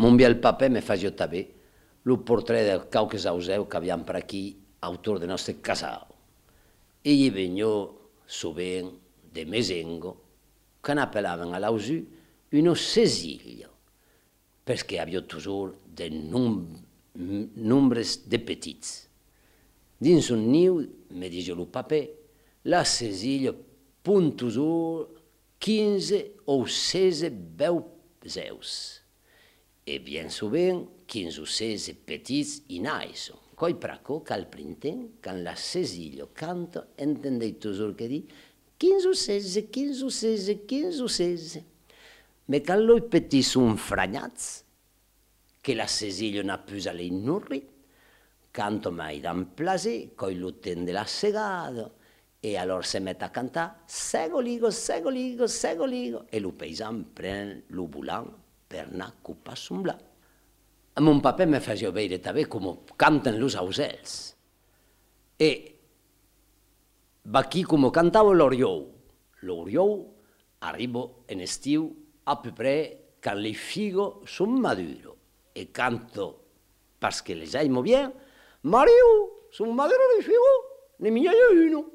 Mon bien paper me faisio també el portret del cauques auseu que aviam per aquí, autor de nostre casau. E gli vegno sovint de mesengo, che n'appelaven a l'ausu uno cesiglio, perché avio toujours de nombres de petits. Dins un niu, me dice lo paper, la cesiglio punt toujours 15 o 16 beuzeus. E bien sovint 15 o 16 petits in aison. Coi praco qu'al printemps, quand la cesiglio canta, entendei toujours che di 15 o 16, 15 o 16, 15 o 16. Me quand loi petits son fragnats, che la cesiglio n'a plus a lei nurri, canto mai dan plaser, coi lo tende la segado, e allora se mette a cantare segoligo, segoligo, segoligo, e lo paisan prende lo bulan per anar cupa somblar. A mon paper me faceva veure també com canten los ausels. E va aquí com cantava l'oriou. L'oriou arriba en estiu a peu près quand les figos son maduros. E canto, parce que les aimo bien, Mario, son maduros les figos, ne miña yo uno.